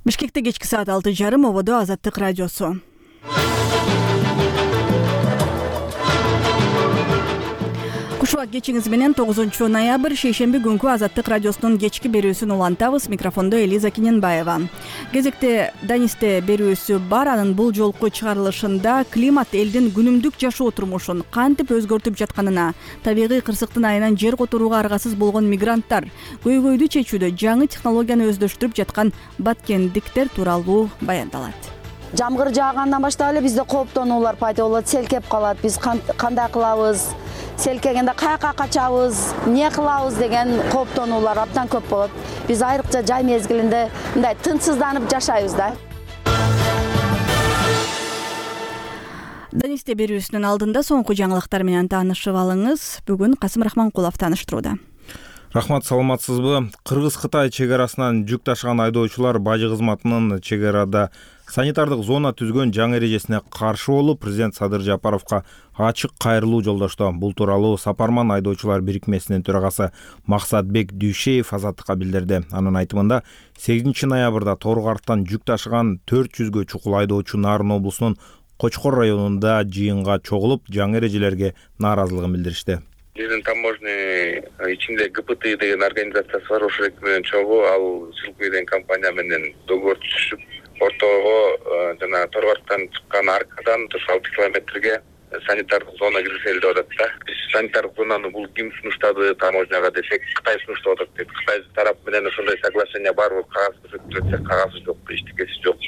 Бишкекте кечки саат 6:30 ободо Азаттык радиосу. Кушубак кечиңиз менен 9-ноябрь шейшемби күнкү Азаттык радиосунун кечки берүүсүн улантабыз. Микрофондо Элиза Киненбаева. Кезекте Данисте берүүсү бар. Анын бул жолку чыгарылышында климат элдин күнүмдүк жашоо турмушун кантип өзгөртүп жатканына, табигый кырсыктын айынан жер которууга аргасыз болгон мигранттар, көйгөйдү чечүүдө жаңы технологияны өздөштүрүп жаткан баткендиктер тууралуу баяндалат. Жамгыр жаагандан баштап эле бизде кооптонуулар пайда болот, селкеп калат. Биз кандай кылабыз? Селкегенде каяка качабыз, эмне кылабыз деген кооптонуулар абдан көп болот. Биз айрыкча жай мезгилинде мындай тынчсызданып жашайбыз да. Данисте берүүсүнүн алдында соңку жаңылыктар менен таанышып алыңыз. Бүгүн Касым Рахманкулов тааныштырууда. Рахмат, саламатсызбы? Кыргыз-Кытай чек арасынан жүк ташыган айдоочулар бажы кызматынын чек арада санитардык зона түзгөн жаңы эрежесине каршы болуп, президент Садыр Жапаровго ачык кайрылуу жолдошту. Бул тууралуу Сапарман айдоочулар бирикмесинин төрагасы Максатбек Дүйшеев Азаттыкка билдирди. Анын айтымында 8-ноябрда Торгартан жүк ташыган 400гө чукул айдоочу Нарын облусунун Кочкор районунда жыйынга чогулуп, жаңы эрежелерге нааразылыгын билдиришти. Биздин таможня ичинде ГПТ деген организациясы бар, ошол менен чогуу ал Силкуй деген компания менен договор түзүшүп, ортого жана Торгорттан чыккан аркадан 6 километрге санитардык зона киргизели деп атат да. Биз санитардык зонаны бул ким сунуштады таможняга десек, Кытай сунуштап атат дейт. Кытай тарап менен ошондой соглашение бар, кагаз көрсөтүлөт, кагазы жок, эчтекеси жок.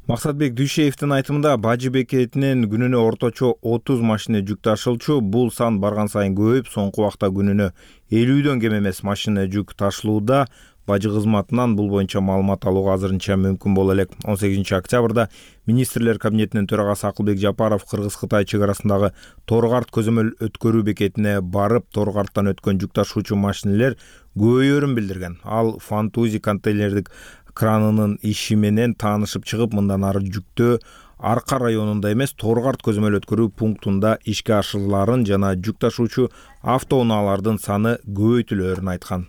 Максатбек Дүйшеевдин айтымында бажы бекетинен күнүнө орточо 30 машина жүк ташылчу. Бул сан барган сайын көбөйүп, соңку убакта күнүнө 50дөн кем эмес машина жүк ташылууда. Бажы кызматынан бул боюнча маалымат алууга азырынча мүмкүн боло элек. 18-октябрда министрлер кабинетинин төрагасы Акылбек Жапаров Кыргыз-Кытай чек арасындагы Торгарт көзөмөл өткөрүү бекетине барып, Торгарттан өткөн жүк ташуучу машиналер көбөйөрүн билдирген. Ал Фантузи контейнердик кранынын иши менен таанышып чыгып, мындан ары жүктө Арка районунда эмес, Торгарт көзөмөл өткөрүү пунктунда ишке ашырыларын жана жүк ташуучу автоунаалардын саны көбөйтүлөөрүн айткан.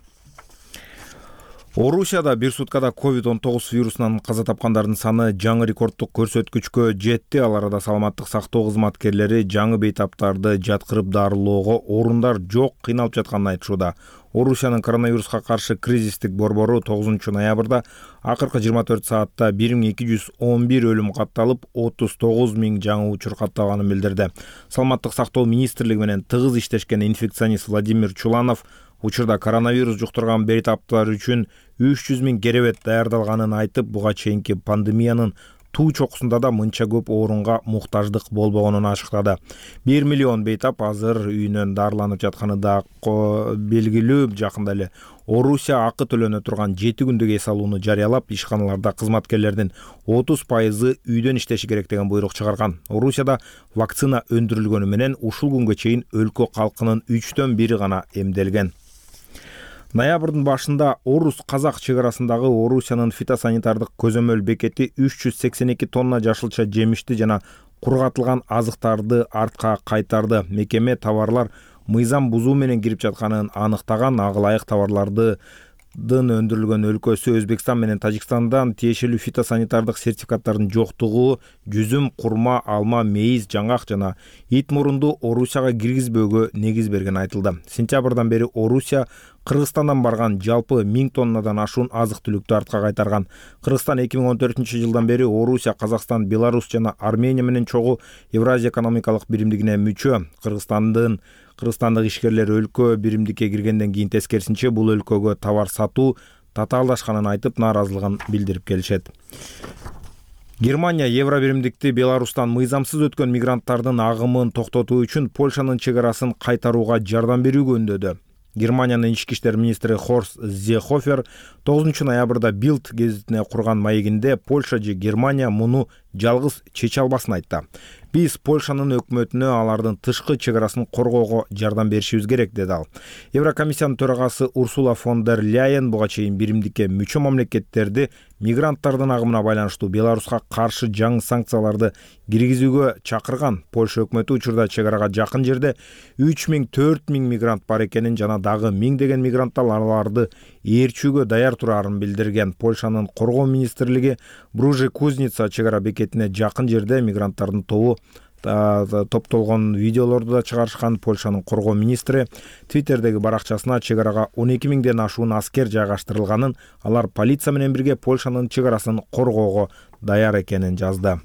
Орусияда бир суткада COVID-19 вирусунан каза тапкандардын саны жаңы рекордтук көрсөткүчкө жетти. Ал арада саламаттык сактоо кызматкерлери жаңы бейтаптарды жаткырып дарылоого орундар жок, кыйналып жатканын айтышууда. Орусиянын коронавируска каршы кризистик борбору 9-ноябрда акыркы 24 саатта 1211 өлүм катталып, 39 000 жаңы учур катталганын билдирди. Саламаттык сактоо министрлиги менен тыгыз иштешкен инфекционист Владимир Чуланов учурда коронавирус жуктурган бейтаптар үчүн 300 000 керебет даярдалганын айтып, буга чейинки пандемиянын туу чокусунда да мынча көп орунга муктаждык болбогонун ашыктады. 1 миллион бейтап азыр үйүнөн дарыланып жатканы да белгилүү. Жакында эле Орусия акы төлөнө турган 7 күндүк эс алууну жарыялап, ишканаларда кызматкерлердин 30% үйдөн иштеши керек деген буйрук чыгарган. Орусияда вакцина өндүрүлгөнү менен ушул күнгө чейин өлкө калкынын 3/1 гана эмделген. Ноябрдын башында Орус-Казак чек арасындагы Орусиянын фитосанитардык көзөмөл бекети 382 тонна жашылча жемишти жана кургатылган азыктарды артка кайтарды. Мекеме товарлар мыйзам бузуу менен кирип жатканын аныктаган. Ага ылайык товарлардын өндүрүлгөн өлкөсү Өзбекстан менен Тажикстандан тиешелүү фитосанитардык сертификаттардын жоктугу, жүзүм, курма, алма, мейиз, жаңгак жана ит мурунду Орусияга киргизбөөгө негиз берген айтылды. Сентябрдан бери Орусия Кыргызстандан барган жалпы 1000 тоннадан ашуун азык-түлүктү артка кайтарган. Кыргызстан 2014-жылдан бери Орусия, Казакстан, Беларусь жана Армения менен чогуу Евразия экономикалык биримдигине мүчө. Кыргызстандык ишкерлер өлкө биримдикке киргенден кийин тескерисинче бул өлкөгө товар сатуу татаалдашканын айтып, нааразылыгын билдирип келишет. Германия Евро биримдикти Беларустан мыйзамсыз өткөн мигранттардын агымын токтотуу үчүн Польшанын чек арасын кайтарууга жардам берүүгө үндөдү. Германиянын ички иштер министри Хорст Зехофер 9-ноябрда Билд гезитине курган маегинде Польша же Германия муну жалгыз чече албасын айтты. Биз Польшанын өкмөтүнө алардын тышкы чек арасын коргоого жардам беришибиз керек, деди ал. Еврокомиссиянын төрагасы Урсула фон дер Ляйен буга чейин биримдикке мүчө мамлекеттерди мигранттардын агымына байланыштуу Беларуска каршы жаңы санкцияларды киргизүүгө чакырган. Польша өкмөтү учурда чек арага жакын жерде 3000-4000 мигрант бар экенин жана дагы 1000 деген мигранттар аларды ээрчүүгө даяр турарын билдирген. Польшанын коргоо министрлиги Бружи Кузница чек ара бекетине жакын жерде мигранттардын тобу топтолгон видеолорду да чыгарышкан. Польшанын коргоо министри Твиттердеги баракчасына чек арага 12 миңден ашуун аскер жайгаштырылганын, алар полиция менен бирге Польшанын чек арасын коргоого даяр экенин жазды.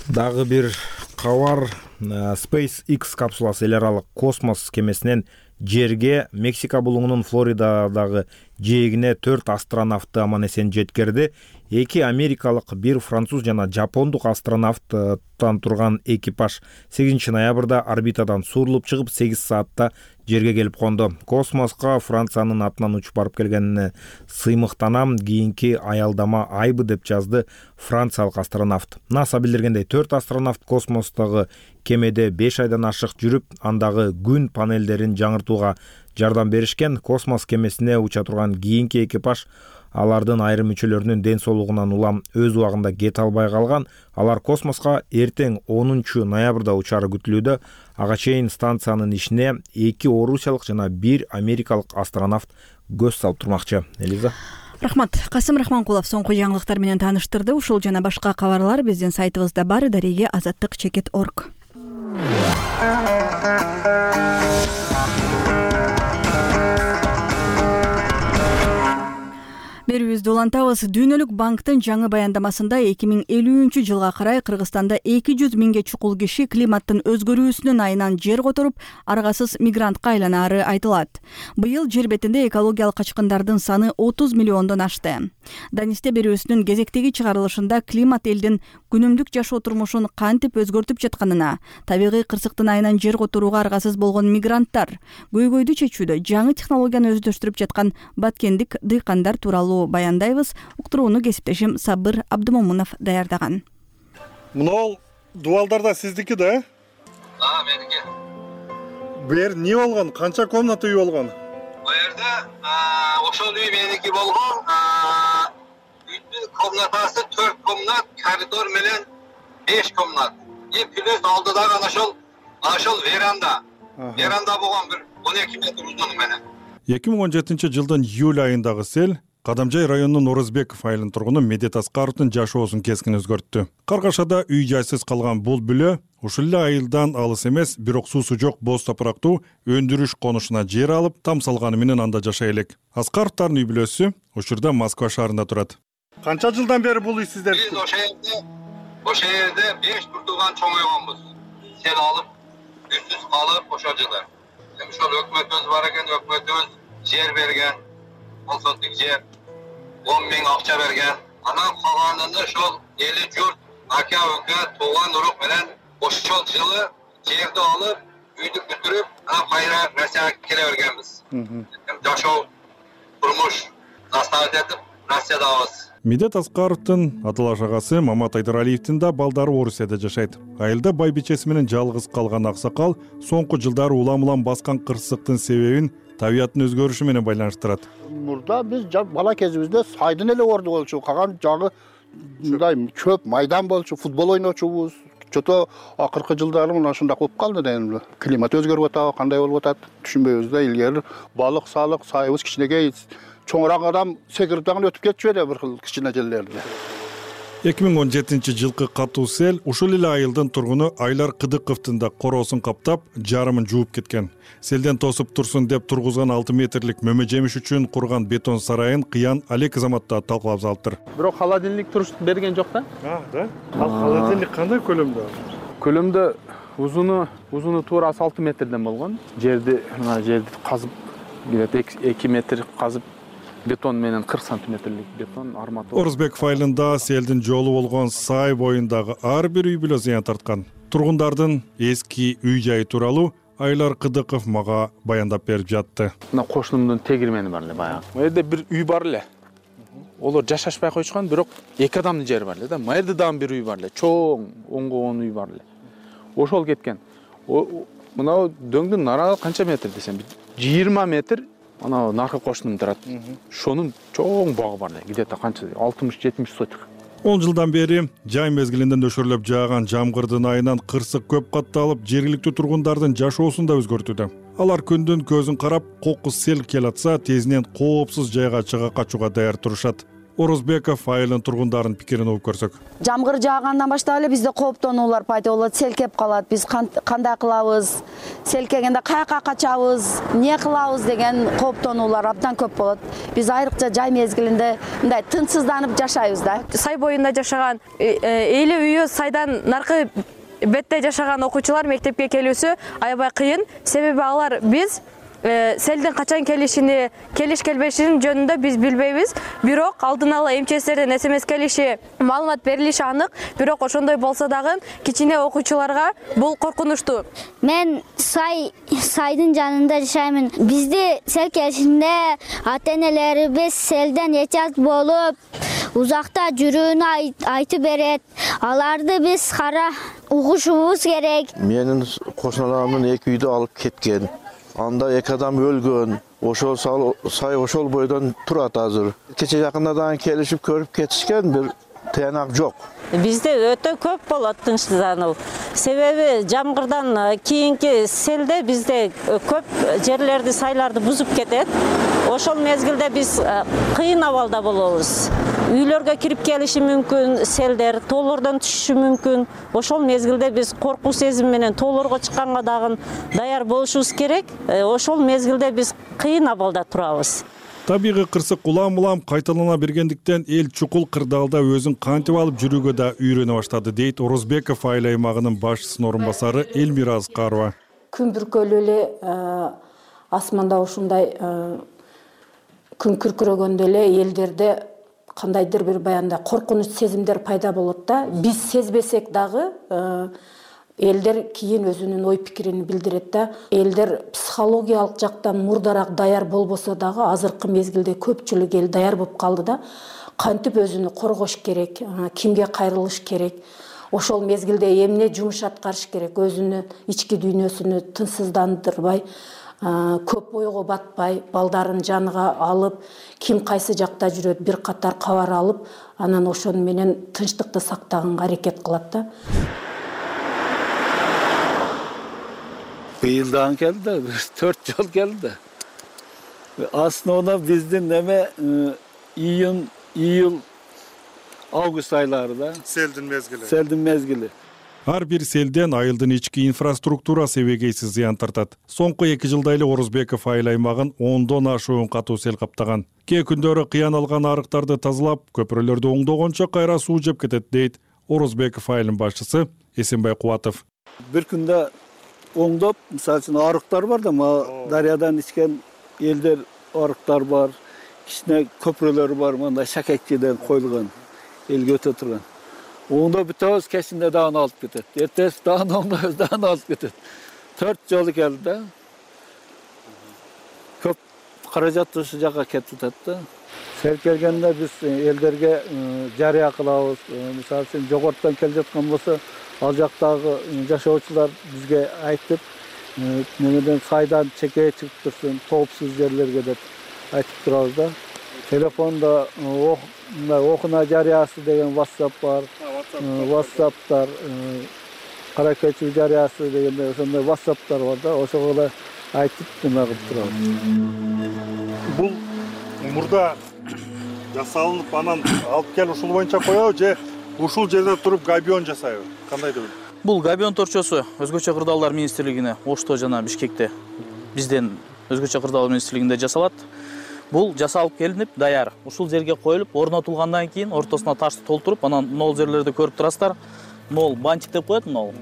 Дагы бир кабар. SpaceX капсуласы эл аралык космос кемесинен жерге Мексика булуңунун Флоридадагы жээгине 4 астронавтты аман эсен жеткирди. 2 америкалык, 1 француз жана жапондук астронавттан турган экипаж 8 ноябрда орбитадан суурулуп чыгып 8 саатта жерге келип конду. Космоско Франциянын атынан учуп барып келгенине сыймыктанам, кийинки аялдама айбы деп жазды франциялык астронавт. НАСА билдиргендей 4 астронавт космостогу кемеде 5 айдан ашык жүрүп, андагы күн панелдерин жаңыртууга жардам беришкен. Космос кемесине уча турган кийинки экипаж алардын айрым мүчөлөрүнүн ден соолугунан улам өз убагында кете албай калган. Алар космоско эртең 10 ноябрда учары күтүлүүдө. Ага чейин станциянын ишине 2 орусиялык жана 1 америкалык астронавт көз салып турмакчы. Элиза. Рахмат. Касым Рахманкулов соңку жаңылыктар менен тааныштырды. Ушул жана башка кабарлар биздин сайтыбызда бар. Дареге azаттык.org. Берүүбүздү улантабыз. Дүйнөлүк банктын жаңы баяндамасында 2050-жылга карай Кыргызстанда 200 миңге чукул киши климаттын өзгөрүүсүнүн айынан жер которуп, аргасыз мигрантка айланары айтылат. Быйыл жер бетинде экологиялык качкындардын саны 30 миллиондон ашты. Данисте берүүсүнүн кезектеги чыгарылышында климат элдин күнүмдүк жашоо турмушун кантип өзгөртүп жатканына, табигый кырсыктын айынан жер которууга аргасыз болгон мигранттар, көйгөйдү чечүүдө жаңы технологияны өздөштүрүп жаткан баткендик дыйкандар тууралуу баяндайбыз. Уктурууну кесиптешим Сабыр Абдымомунов даярдаган. Мынау дубалдар да сиздики да? Меники. Бу жер эмне болгон? Канча комната үй болгон? Бу жерде ошол үй меники болгон. Үйдүн комнатасы 4 комнат, коридор менен 5 комнат. Плюс алдыдагы ошол веранда. Веранда болгон бир 12 метр узуну менен. 2017-жылдын июль айындагы сел Кадамжай районунун Орозбеков айылынын тургуну Медет Аскаровдун жашоосун кескин өзгөрттү. Каргашада үй жайсыз калган бул бүлө ушул эле айылдан алыс эмес, бирок суусу жок боз топурактуу өндүрүш конушуна жер алып, там салганы менен анда жашай элек. Аскаровдун үй бүлөсү ушурда Москва шаарында турат. Канча жылдан бери бул үй сиздер? Биз ошо жерде 5 туртуган чоңойгонбуз. Сел алып, үйсүз калып ошол жылы. Ошол өкмөтүбүз бар экен, өкмөтүбүз жер берген. 10 соттук жер, 10 миң акча берген. Анан калганында ошол эли журт, ака-ука, тууган урук менен ошол жылы жерди алып, үйдү бүтүрүп, кайра нерсе келе бергенбиз. Жашоо, турмуш наставить этип, Россиядабыз. Медет Аскаровдун аталаш агасы Мамат Айдаралиевдин да балдары Орусияда жашайт. Айылда байбичеси менен жалгыз калган аксакал соңку жылдары улам-улам баскан кырсыктын себебин табияттын өзгөрүшү менен байланыштырат. Мурда биз бала кезибизде сайдын эле орду болчу, калган жагы мындай чөп майдан болчу, футбол ойночубуз. Чото акыркы жылдары мына ушундай болуп калды дейм. Климат өзгөрүп атабы, кандай болуп атат түшүнбөйбүз да. Илгери балык салык сайыбыз кичинекей, чоңураак адам секирип дагы өтүп кетчү эле бир кыл кичине жерлерде. 2017-жылкы катуу сел ушул эле айылдын тургуну Айлар Кыдыковдун да короосун каптап, жарымын жууп кеткен. Селден тосуп турсун деп тургузган 6 метрлик мөмө жемиш үчүн курган бетон сарайын кыян Алек Азаматта талкалап салыптыр. Бирок холодильник туруш берген жок да? Да. Ал холодильник кандай көлөмдө? Көлөмдө узуну туура 6 метрден болгон. Жерди казып, 2 метр казып бетон менен 40 сантиметрлик бетон арматура. Орозбеков айылында селдин жолу болгон сай боюндагы ар бир үй бүлө зыян тарткан. Тургундардын эски үй жайы тууралуу Айлар Кыдыков мага баяндап берип жатты. Мына кошунумдун тегирмени бар эле баягы. Бу жерде бир үй бар эле. Олар жашашпай койчукан, бирок 2 адамдын жери бар эле да. Мына жерде дагы бир үй бар эле. Чоң оңгогон үй бар эле. Ошол кеткен. Мына дөңдүн нарагы канча метр десем, 20 метр. Ана наркы кошунум турат. Шонун чоң багы бар эле. Где-то канча 60-70 сотик. 10 жылдан бери жай мезгилинде нөшөрлөп жааган жамгырдын айынан кырсык көп катталып, жергиликтүү тургундардын жашоосун да өзгөртүүдө. Алар күндүн көзүн карап, кокус сел келатса, тезинен коопсуз жайга чыга качууга даяр турушат. Орозбеков айылдын тургундарын пикирин угуп көрсөк. Жамгыр жаагандан баштап эле бизде кооптонуулар пайда болот, сел кеп калат. Биз кандай кылабыз? Сел келгенде каяка качабыз? Эмне кылабыз деген кооптонуулар абдан көп болот. Биз айрыкча жай мезгилинде мындай тынчсызданып жашайбыз да. Сай боюнда жашаган, эли үйү сайдан наркы бетте жашаган окуучулар мектепке келүүсү аябай кыйын. Себеби алар биз селдин качан келишини, келиш келбешин жөнүндө биз билбейбиз. Бирок алдын ала МЧСтерден СМС келиши, маалымат берилиши анык. Бирок ошондой болсо дагы кичине окуучуларга бул коркунучтуу. Мен сайдын жанында жашаймын. Бизди сел келишинде ата-энелерибиз селден эчат болуп, узакта жүрүүнү айтып берет. Аларды биз кара угушубуз керек. Менин кошуналарымдын 2 үйдү алып кеткен. Анда 2 адам өлгөн. Ошол сай ошол бойдон турат азыр. Кече жакындардан келишип көрүп кетишкен, бир тыянак жок. Бизде өтө көп болот тынчсыздануу. Себеби жамгырдан кийинки селде бизде көп жерлерди, сайларды бузуп кетет. Ошол мезгилде биз кыйын абалда болобуз. Үйлөргө кирип келиши мүмкүн, селдер тоолордон түшүшү мүмкүн. Ошол мезгилде биз коркуу сезим менен тоолорго чыкканга дагы даяр болушубуз керек. Ошол мезгилде биз кыйын абалда турабыз. Табигый кырсык улам-улам кайталана бергендиктен эл чукул кырдаалда өзүн кантип алып жүрүүгө да үйрөнө баштады, дейт Орозбеков айыл аймагынын башчысынын орун басары Элмира Аскарова. Күн бүркөлүү эле асманда ушундай күн күркүрөгөндө эле элдерде кандайдыр бир баягындай коркунуч сезимдер пайда болот да. Биз сезбесек дагы элдер кийин өзүнүн ой пикирин билдирет да. Элдер психологиялык жактан мурдараак даяр болбосо дагы азыркы мезгилде көпчүлүк эл даяр болуп калды да. Кантип өзүнү коргош керек, кимге кайрылыш керек, ошол мезгилде эмне жумуш аткарыш керек, өзүнүн ички дүйнөсүнү тынчсыздандырбай, көп ойго батпай, балдарын жаныга алып, ким кайсы жакта жүрөт бир катар кабар алып, анан ошону менен тынчтыкты сактаганга аракет кылат да. Быйылдан келди, 4 жыл келди. Основно биздин неме июнь, август айлары да. Селдин мезгили. Селдин мезгили. Ар бир селден айылдын ички инфраструктурасы эбегейсиз зыян тартат. Соңку 2 жылда эле Орозбеков айыл аймагын 10дон ашуун катуу сел каптаган. Кээ күндөрү кыян алган арыктарды тазалап, көпүрөлөрдү оңдогончо кайра суу жеп кетет, дейт Орозбеков айылынын башчысы Эсенбай Кубатов. Бир күндө оңдоп, мисалы үчүн арыктар бар да, дарыядан ичкен элдер арыктар бар, кичине көпүрөлөр бар, мындай шакекчиден коюлган, элге өтө турган. Оңдоп бүтөбүз, кечинде дагы алып кетет. Эртеси дагы оңдойбуз, дагы алып кетет. 4 жолу келди да. Көп каражат ушу жака кетип атат да. Сел келгенде биз элдерге жарыя кылабыз. Мисалы үчүн жогорттон келе жаткан болсо, ал жактагы жашоочулар бизге айтып, немеден сайдан чекeye чыгып турсун, коопсуз жерлерге деп айтып турабыз да. Телефонда окуна жарыясы деген WhatsApp бар. WhatsApp'тар, кара көчүү жарыясы дегенде ошондой WhatsApp'тар бар да. Ошого да айтып жана кылып турабыз. Бул мурда жасалынып, анан алып кел ушул боюнча коебу же ушул жерде туруп габион жасайбы? Кандай деп? Бул габион торчосу өзгөчө кырдаалдар министрлигине Ошто жана Бишкекте бизден өзгөчө кырдаалдар министрлигинде жасалат. Бул жасалып келинип, даяр. Ушул жерге коюлуп, орнотулгандан кийин ортосуна ташты толтуруп, анан нол жерлерди көрүп турасыздар. Нол банчик деп коет, нол.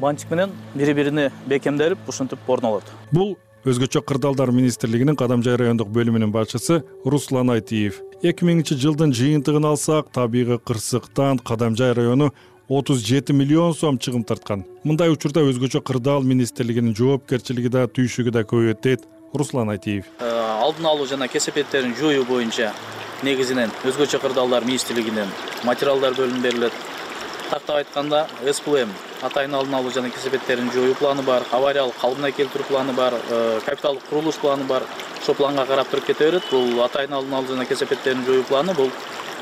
Банчик менен бири-бирине бекемделип, ушинтип орнолот. Бул өзгөчө кырдаалдар министрлигинин Кадамжай райондук бөлүмүнүн башчысы Руслан Айтиев. 2000-жылдын жыйынтыгын алсак, табигый кырсыктан Кадамжай району 37 миллион сом чыгым тарткан. Мындай учурда өзгөчө кырдаал министрлигинин жоопкерчилиги да түйшүгү да көбөйөт, дейт Руслан Айтиев. Алдын алуу жана кесепеттерин жоюу боюнча негизинен өзгөчө кырдаалдар министрлигинен материалдар бөлүнүп берилет. Тактап айтканда, СПМ атайын алдын алуу жана кесепеттерин жоюу планы бар, авариялык калыбына келтирүү планы бар, капиталдык курулуш планы бар. Ошол планга карап туруп кете берет. Бул атайын алдын алуу жана кесепеттерин жоюу планы бул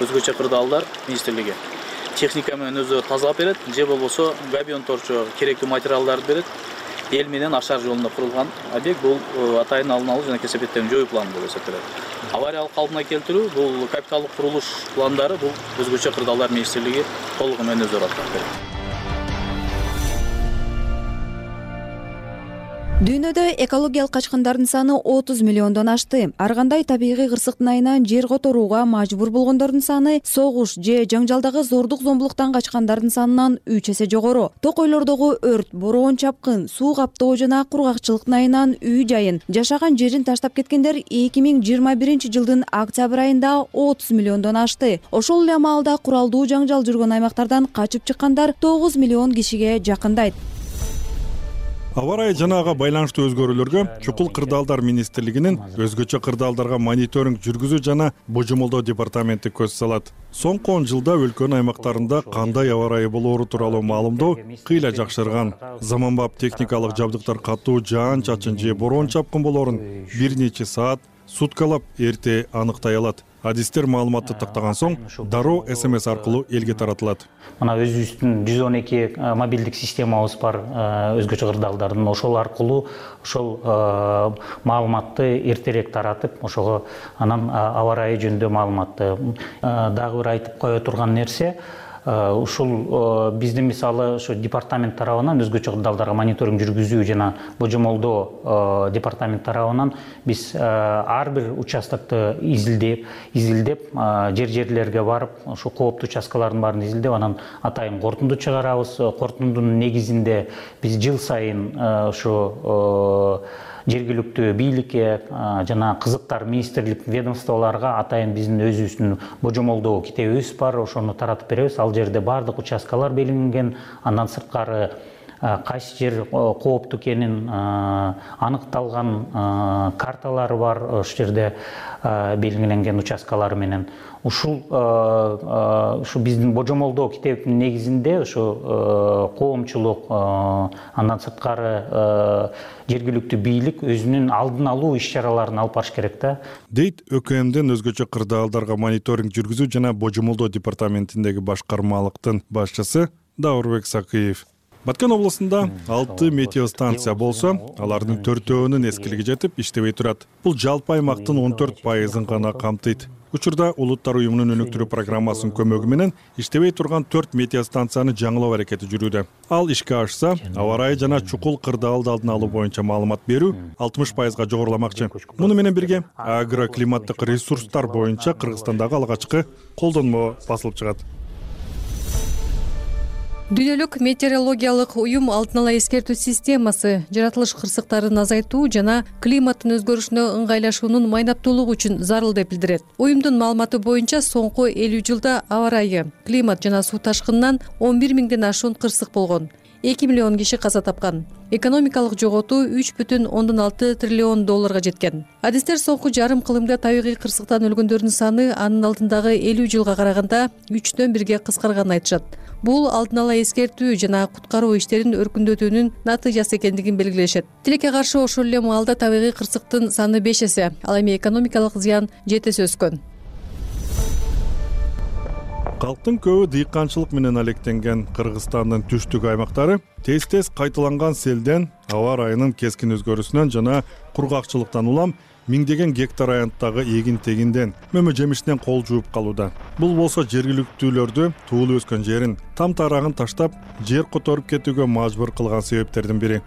өзгөчө кырдаалдар министрлиги. Техника менен өзү тазалап берет, же болбосо габион торчо керектүү материалдарды берет. эл менен ашар жолунда курулган объект. Бул атайын алдын алуу жана кесепеттердин жоюу планы болуп эсептелет. Авариялык калыбына келтирүү бул капиталдык курулуш пландары бул өзгөчө кырдаалдар министрлиги толугу менен өздөрү аткарып берет. Дүйнөдө экологиялык качкындардын саны 30 миллиондон ашты. Ар кандай табигый кырсыктын айынан жер которууга мажбур болгондордун саны согуш же жаңжалдагы зордук зомбулуктан качкандардын санынан 3 эсе жогору. Токойлордогу өрт, бороон чапкын, суу каптоо жана кургакчылыктын айынан үй жайын, жашаган жерин таштап кеткендер 2021-жылдын октябрь айында 30 миллиондон ашты. Ошол эле маалда куралдуу жаңжал жүргөн аймактардан качып чыккандар 9 миллион кишиге жакындайт. Аба ырайы жана ага байланыштуу өзгөрүүлөргө Чукул кырдаалдар министрлигинин өзгөчө кырдаалдарга мониторинг жүргүзүү жана божомолдоо департаменти көз салат. Соңку 10 жылда өлкөнүн аймактарында кандай аба ырайы болоору тууралуу маалымдоо кыйла жакшырган. Заманбап техникалык жабдыктар катуу жаан-чачын же бороон чапкын болоорун бир нече саат, суткалап эрте аныктай алат. Адистер маалыматты тактаган соң дароо СМС аркылуу элге таратылат. Мына өзүбүздүн 112 мобилдик системабыз бар өзгөчө кырдаалдардын. Ошол аркылуу ошол маалыматты эртерээк таратып, ошого анан аба ырайы жөнүндө маалыматты дагы бир айтып кое турган нерсе, ушул биздин мисалы ошо департамент тарабынан өзгөчө кырдаалдарга мониторинг жүргүзүү жана божомолдоо департамент тарабынан биз ар бир участокты изилдеп жерлерге барып, ошо кооптуу участкалардын баарын изилдеп, анан атайын корутунду чыгарабыз. Корутундун негизинде биз жыл сайын ошо жергиликтүү бийликке жана кызыктар министрлик ведомстволорго атайын биздин өзүбүздүн божомолдоо китебибиз бар, ошону таратып беребиз. Ал жерде бардык участкалар белгиленген, андан сырткары кайсы жер кооптуу экенин аныкталган карталары бар, ошол жерде белгиленген участкалар менен. Ушул биздин божомолдоо китебинин негизинде ошо коомчулук, андан сырткары жергиликтүү бийлик өзүнүн алдын алуу иш-чараларын алып барыш керек да. Дейт ÖKM'ден өзгөчө кырдаалдарга мониторинг жүргүзүү жана божомолдоо департаментиндеги башкармалыктын башчысы Даурбек Сакыев. Баткен облусунда 6 метеостанция болсо, алардын 4-өөнүн эскилиги жетип иштебей турат. Бул жалпы аймактын 14%-ын гана камтыйт. Учурда Улуттар уюмунун өнүктүрүү программасынын көмөгү менен иштебей турган 4 метеостанцияны жаңылоо аракети жүрүүдө. Ал ишке ашса, аба ырайы жана чукул кырдаалды алдын алуу боюнча маалымат берүү 60%га жогоруламакчы. Муну менен бирге агроклиматтык ресурстар боюнча Кыргызстандагы алгачкы колдонмо басылып чыгат. Дүйнөлүк метеорологиялык уюм алдын ала эскертүү системасы жаратылыш кырсыктарын азайтуу жана климаттын өзгөрүшүнө ыңгайлашуунун майнаттуулугу үчүн зарыл деп билдирет. Уюмдун маалыматы боюнча соңку 50 жылда аба ырайы, климат жана суу ташкынынан 11 миңден ашуун кырсык болгон. 2 миллион киши каза тапкан. Экономикалык жоготуу 3,6 триллион долларга жеткен. Адистер соңку жарым кылымда табигый кырсыктан өлгөндөрдүн саны анын алдындагы 50 жылга караганда 3дөн 1ге кыскарганын айтышат. Бул алдын ала эскертүү жана куткаруу иштерин өркүндөтүүнүн натыйжасы экендигин белгилешет. Тилекке каршы ошол эле маалда табигый кырсыктын саны 5 эсе, ал эми экономикалык зыян 7 эсе өскөн. Калктын көбү дыйканчылык менен алектенген Кыргызстандын түштүк аймактары тез-тез кайталанган селден, аба ырайынын кескин өзгөрүүсүнөн жана кургакчылыктан улам миңдеген гектар аянттагы эгин-тегинден, мөмө жемиштен кол жууп калууда. Бул болсо жергиликтүүлөрдү туулуп өскөн жерин, там тарагын таштап, жер которуп кетүүгө мажбур кылган себептердин бири.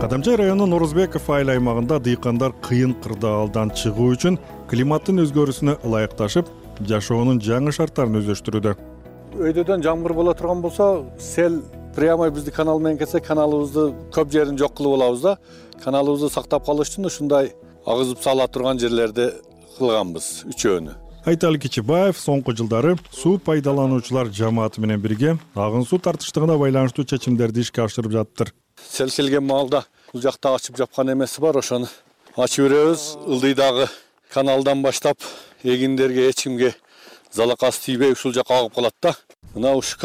Кадамжай районунун Норозбеков айыл аймагында дыйкандар кыйын кырдаалдан чыгуу үчүн климаттын өзгөрүүсүнө ылайыкташып, жашоонун жаңы шарттарын өздөштүрүүдө. Өйдөдөн жамгыр боло турган болсо, сел прямо бизди канал менен кетсе, каналыбызды көп жерин жок кылып алабыз да. Каналыбызды сактап калыш үчүн ушундай агызып сала турган жерлерди кылганбыз, үчөөнү. Айталы Кичибаев соңку жылдары суу пайдалануучулар жамааты менен бирге агын суу тартыштыгына байланыштуу чечимдерди ишке ашырып жаттыр. Сел келген маалда бул жакта ачып жапкан эмеси бар, ошону ачып беребиз. Ылдыйдагы каналдан баштап эгиндерге, эч кимге залакасы тийбей ушул жака агып калат да. Мына ушу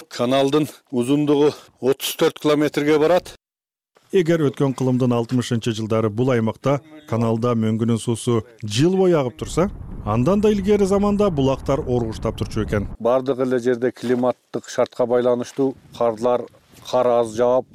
каналдын узундугу 34 километрге барат. Эгер өткөн кылымдын 60-жылдары бул аймакта каналда мөңгүнүн суусу жыл бою агып турса, Андан да илгери заманда булактар оргуштап турчу экен. Бардык эле жерде климаттык шартка байланыштуу кар аз жаап,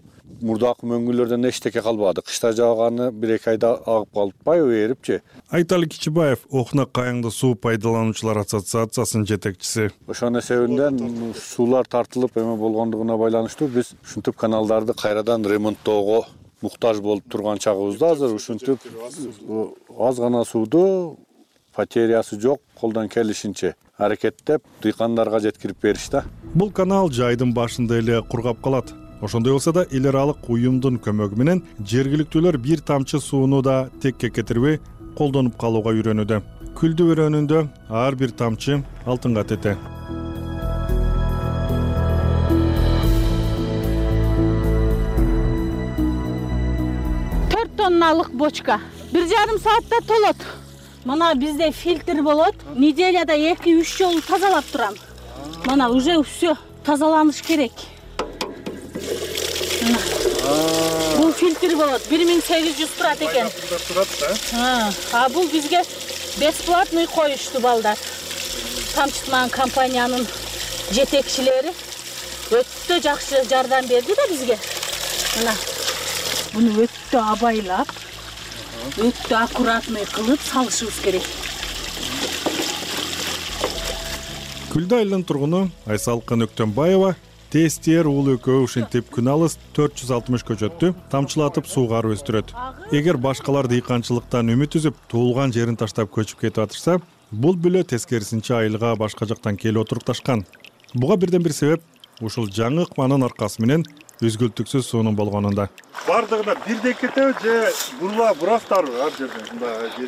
мурдакы мөңгүлөрдөн эчтеке калбады. Кышта жааганы 1-2 айда агып калпайбы, эрипчи? Айталы Кичибаев Окнак Кайыңды суу пайдалануучулар ассоциациясынын жетекчиси. Ошонун эсебинен суулар тартылып эме болгондугуна байланыштуу биз ушинтип каналдарды кайрадан ремонттоого муктаж болуп турган чагыбызда азыр ушинтип аз гана сууду потерясы жок колдон келишинче аракеттеп дыйкандарга жеткирип беришти. Бул канал жайдын башында эле кургап калат. Ошондой болсо да эл аралык уюмдун көмөгү менен жергиликтүүлөр бир тамчы сууну да текке кетирбей колдонуп калууга үйрөнүүдө. Күлдү өрөөнүндө ар бир тамчы алтынга тете. Тонналык бочка 1,5 саатта толот. Мына бизде фильтр болот. Неделяда 2-3 жолу тазалап турам. Мына уже все тазаланыш керек. Бул фильтр болот. 1800 турат экен. А бул бизге бесплатный коюшту балдар. Тамчытман компаниянын жетекчилери өтө жакшы жардам берди да бизге. Мына буну өтө абайлап, өтө аккуратный кылып салышыбыз керек. Күлдү айылынын тургуну Айсалкын Өктөнбаева тестер уулу экөө ушинтип күн алыс 460 көчөттү тамчылатып суугарып өстүрөт. Эгер башкалар дыйканчылыктан үмүт үзүп, туулган жерин таштап көчүп кетип атышса, бул бүлө тескерисинче айылга башка жактан келип отурукташкан. Буга бирден бир себеп ушул жаңы ыкманын аркасы менен үзгүлтүксүз суунун болгонунда. Бардыгына бирдей кетеби же бурафтарбы ар жерде?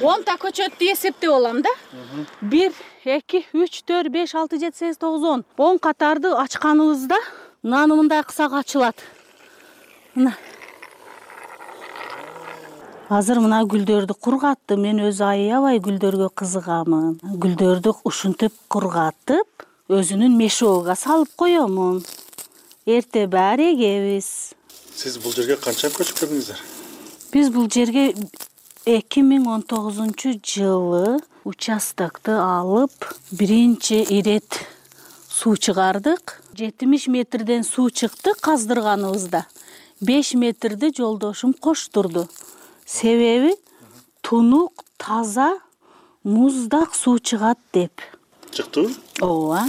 10 та көчөттү эсептеп алам да. 1, 2, 3, 4, 5, 6, 7, 8, 9, 10. 10 катарды ачканыбызда мынаны мындай кысак ачылат. Мына. Азыр мына гүлдөрдү кургаттым. Мен өзү аябай гүлдөргө кызыгамын. Гүлдөрдү ушинтип кургатып, өзүнүн мешогуга салып коёмун. Эрте баары эгебиз. Сиз бул жерге канча көчүп келдиңиздер? Биз бул жерге 2019-жылы участокты алып, биринчи ирет суу чыгардык. 70 метрден суу чыкты каздырганыбызда. 5 метрди жолдошум коштурду. Себеби тунук, таза, муздак суу чыгат деп. Чыктыбы? Ооба.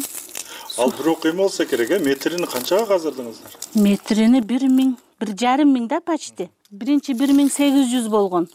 Ал бирок эме болсо керек, метрини канчага каздырдыңыздар? Метрини 1,5 миң да почти. Биринчи 1800 болгон.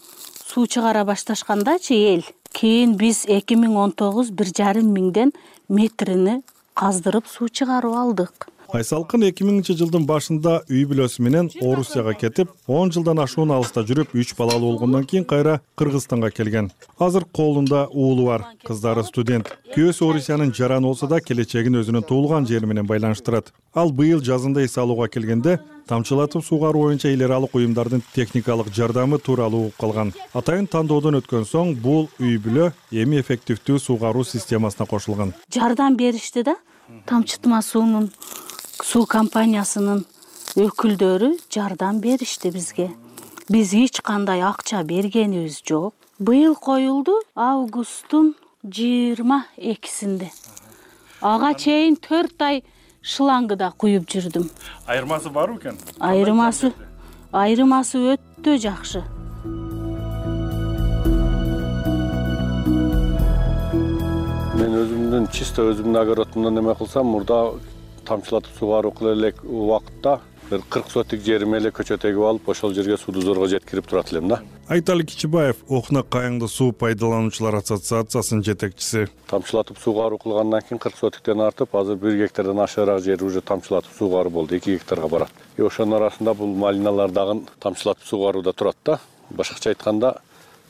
Суу чыгара башташкандачы эл. Кийин биз 2019 1,5 миңден метрини каздырып суу чыгарып алдык. Айсалкын 2000-жылдын башында үй бүлөсү менен Орусияга кетип, 10 жылдан ашуун алыста жүрүп, 3 балалуу болгондон кийин кайра Кыргызстанга келген. Азыр колунда уулу бар, кыздары студент. Күйөөсү Орусиянын жараны болсо да келечегин өзүнүн туулган жери менен байланыштырат. Ал быйыл жазында эс алууга келгенде тамчылатып суугаруу боюнча эл аралык уюмдардын техникалык жардамы тууралуу угуп калган. Атайын тандоодон өткөн соң бул үй бүлө эми эффективдүү суугаруу системасына кошулган. Жардам беришти да, тамчытма суунун суу компаниясынын өкүлдөрү жардам беришти бизге. Биз эч кандай акча бергенибиз жок. Быйыл коюлду августтун 22-синде. Ага чейин 4 ай шлангыда куюп жүрдүм. Айырмасы барбы экен? Айырмасы өтө жакшы. Мен өзүмдүн чисто өзүмдүн огородумдан эме кылсам, мурда тамчылатып суугаруу кыла элек убакытта бир 40 сотик жериме эле көчөт эгип алып, ошол жерге сууду зорго жеткирип турат элем да. Айталы Кичибаев Окнак Кайыңды суу пайдалануучулар ассоциациясынын жетекчиси. Тамчылатып суугаруу кылгандан кийин 40 сотиктен артып, азыр 1 гектардан ашыгыраак жери уже тамчылатып суугаруу болду, 2 гектарга барат. Ошонун арасында бул малиналар дагы тамчылатып суугарууда турат да. Башкача айтканда,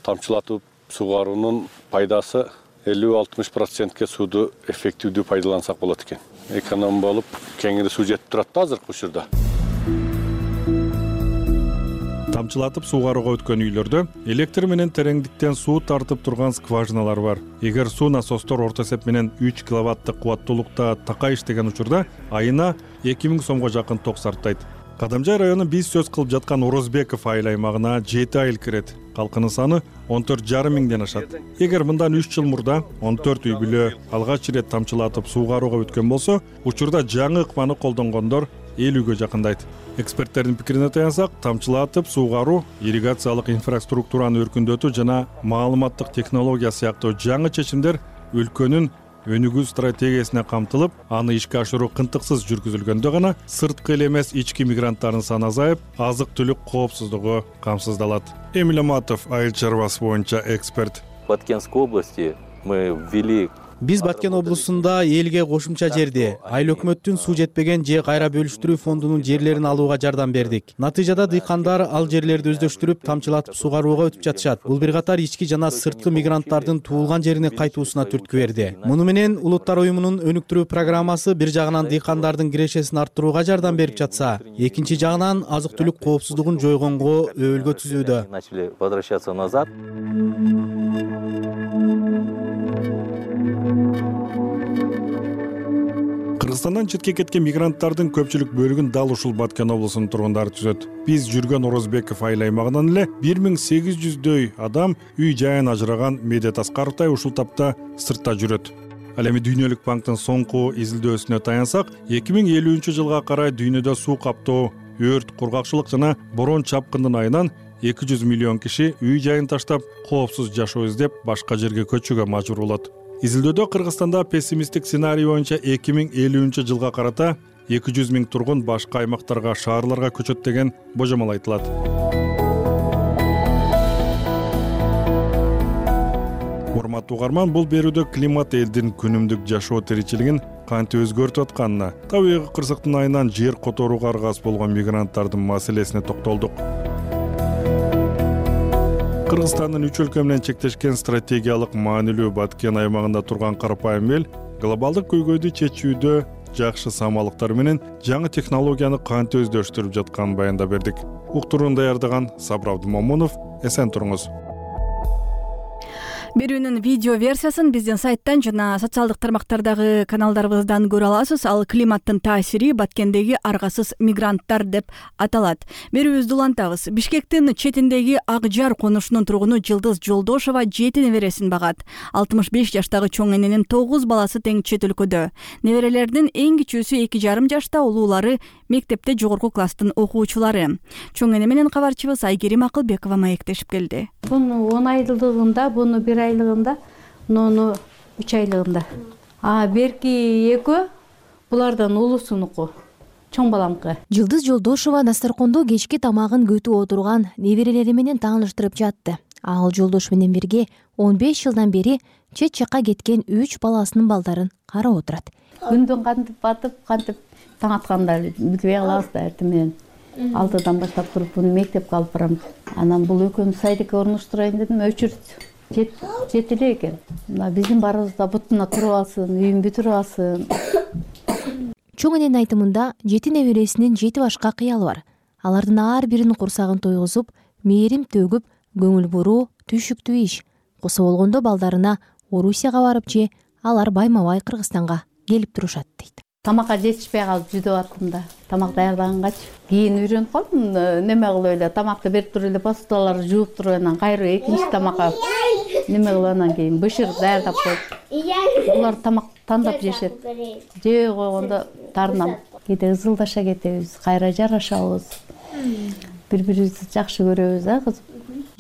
тамчылатып суугаруунун пайдасы 50-60%ке сууду эффективдүү пайдалансак болот экен. Эконом болуп, кеңири суу жетип турат да азыркы учурда. Тамчылатып суугарууга өткөн үйлөрдө электр менен тереңдиктен суу тартып турган скважиналар бар. Эгер суу насостор орто эсеп менен 3 киловаттык кубаттуулукта такай иштеген учурда айына 2000 сомго жакын ток сарптайт. Кадамжай району биз сөз кылып жаткан Орозбеков айыл аймагына 7 айыл кирет. калкынын саны 14,5 миңден ашат. Эгер мындан 3 жыл мурда 14 үй бүлө алгач ирет тамчылатып суугарууга өткөн болсо, учурда жаңы ыкманы колдонгондор 50-гө жакындайт. Эксперттердин пикирине таянсак, тамчылатып суугаруу, ирригациялык инфраструктураны өркүндөтүү жана маалыматтык технология сыяктуу жаңы чечимдер өлкөнүн өнүгүү стратегиясына камтылып, аны ишке ашыруу кынтыксыз жүргүзүлгөндө гана сырткы эле эмес ички мигранттардын саны азайып, азык-түлүк коопсуздугу камсыздалат. Эмиль Аматов, айыл чарбасы боюнча эксперт. В Баткенской области мы ввели. Биз Баткен облусунда элге кошумча жерди, айыл өкмөттүн суу жетпеген же кайра бөлүштүрүү фондунун жерлерин алууга жардам бердик. Натыйжада дыйкандар ал жерлерди өздөштүрүп, тамчылатып суугарууга өтүп жатышат. Бул бир катар ички жана сырткы мигранттардын туулган жерине кайтуусуна түрткү берди. Муну менен Улуттар уюмунун өнүктүрүү программасы бир жагынан дыйкандардын кирешесин арттырууга жардам берип жатса, экинчи жагынан азык-түлүк коопсуздугун жойгонго өбөлгө түзүүдө. Начали возвращаться назад. Кыргызстандан четке кеткен мигранттардын көпчүлүк бөлүгүн дал ушул Баткен облусунун тургундары түзөт. Биз жүргөн Орозбеков айыл аймагынан эле 1800дөй адам үй жайын ажыраган Медет Аскаровтай ушул тапта сыртта жүрөт. Ал эми Дүйнөлүк банктын соңку изилдөөсүнө таянсак, 2050-жылга карай дүйнөдө суу каптоо, өрт, кургакчылык жана борон чапкындын айынан 200 миллион киши үй жайын таштап, коопсуз жашоо издеп, башка жерге көчүүгө мажбур болот. Изилдөөдө Кыргызстанда пессимисттик сценарий боюнча 2050-жылга карата 200 миң тургун башка аймактарга, шаарларга көчөт деген божомол айтылат. Урматтуу угарман, бул берүүдө климат элдин күнүмдүк жашоо тиричилигин кантип өзгөртүп атканына, табигый кырсыктын айынан жер которууга аргасыз болгон мигранттардын маселесине токтолдук. Кыргызстандын 3 өлкө менен чектешкен стратегиялык маанилүү Баткен аймагында турган карапайым эл глобалдык көйгөйдү чечүүдө жакшы самалыктар менен жаңы технологияны кантип өздөштүрүп жатканын баяндап бердик. Уктурууну даярдаган Сабыр Абдымомунов, эсен туруңуз. Берүүнүн видео версиясын биздин сайттан жана социалдык тармактардагы каналдарыбыздан көрө аласыз. Ал климаттын таасири Баткендеги аргасыз мигранттар деп аталат. Берүүбүздү улантабыз. Бишкектин четиндеги Ак Жар конушунун тургуну Жылдыз Жолдошова 7 небересин багат. 65 жаштагы чоң эненин 9 баласы тең чет өлкөдө. Неберелердин эң кичүүсү 2,5 жашта, улуулары мектепте жогорку класстын окуучулары. Чоң эне менен кабарчыбыз Айгерим Акылбекова маектешип келди. Буну 10 айлыгында, буну 1 айлыгында, муну 3 айлыгында. Берки экөө булардан улусунуку, чоң баламкы. Жылдыз Жолдошова дасторкондо кечки тамагын көтүп отурган неберелери менен тааныштырып жатты. Ал жолдош менен бирге 15 жылдан бери чет жакка кеткен 3 баласынын балдарын карап отурат. Күндүн кантип батып, кантип таң атканда билбей калабыз да, эртең менен 6-дан баштап туруп буну мектепке алып барам. Анан бул экөөмүз сайдыкка орноштурайын дедим, өчүрт жет эле экен. Мына биздин барыбызда бутуна туруп алсын, үйүн бүтүрүп алсын. Чоң эненин айтымында 7 небересинин 7 башка кыялы бар. Алардын ар биринин курсагын тойгузуп, мээрим төгүп, көңүл буруу, түшүктүү иш. Куса болгондо балдарына Орусияга барып же алар байма-бай Кыргызстанга келип турушат дейт. Тамакка жетишпей калып жүдөп аттым да. Тамак даярдагангач кийин үйрөнүп калдым, неме кылып эле тамакты берип туруп эле посудаларды жууп туруп анан кайра экинчи тамакка неме кылып анан кийин бышыр даярдап коюп. Булар тамак тандап жешет. Жей койгондо таарынам. Кээде ызылдаша кетебиз, кайра жарашабыз. Бири-бирибизди жакшы көрөбүз, кызым.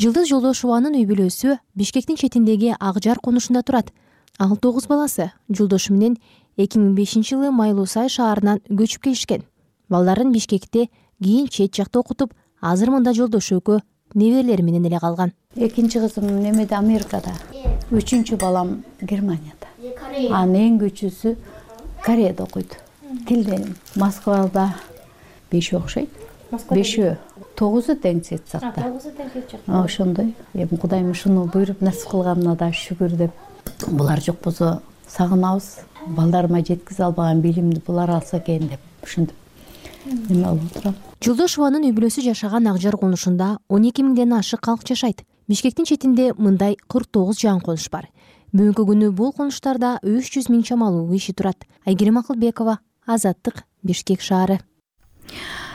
Жылдыз Жолдошованын үй бүлөсү Бишкектин четиндеги Ак Жар конушунда турат. Ал 9 баласы жолдошу менен 2005-жылы Майлуусай шаарынан көчүп келишкен. Балдарын Бишкекте, кийин чет жакта окутуп, азыр мында жолдошу экөө неберелери менен эле калган. Экинчи кызым немеде Америкада, 3-чү балам Германияда. Анын эң кичүүсү Кореяда окуйт. Тилден Москвада 5 окшойт. 5-өө 9 тең чет жакта. Ошондой. Эми Кудайым ушуну буйруп насип кылганына да шүгүр деп. Булар жок болсо сагынабыз. Балдарыма жеткизе албаган билимди булар алса экен деп ушинтип неме кылып турам. Жолдошованын үй бүлөсү жашаган Ак Жар конушунда 12 миңден ашык калк жашайт. Бишкектин четинде мындай 49 жаңы конуш бар. Бүгүнкү күнү бул конуштарда 300 миң чамалуу киши турат. Айгерим Акылбекова, Азаттык, Бишкек шаары.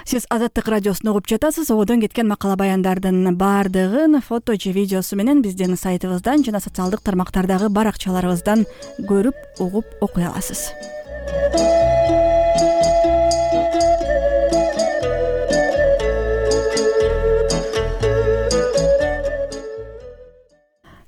Сиз Азаттык радиосун угуп жатасыз. Одон кеткен макала баяндардын баардыгын фото же видеосу менен биздин сайтыбыздан жана социалдык тармактардагы баракчаларыбыздан көрүп, угуп, окуй аласыз.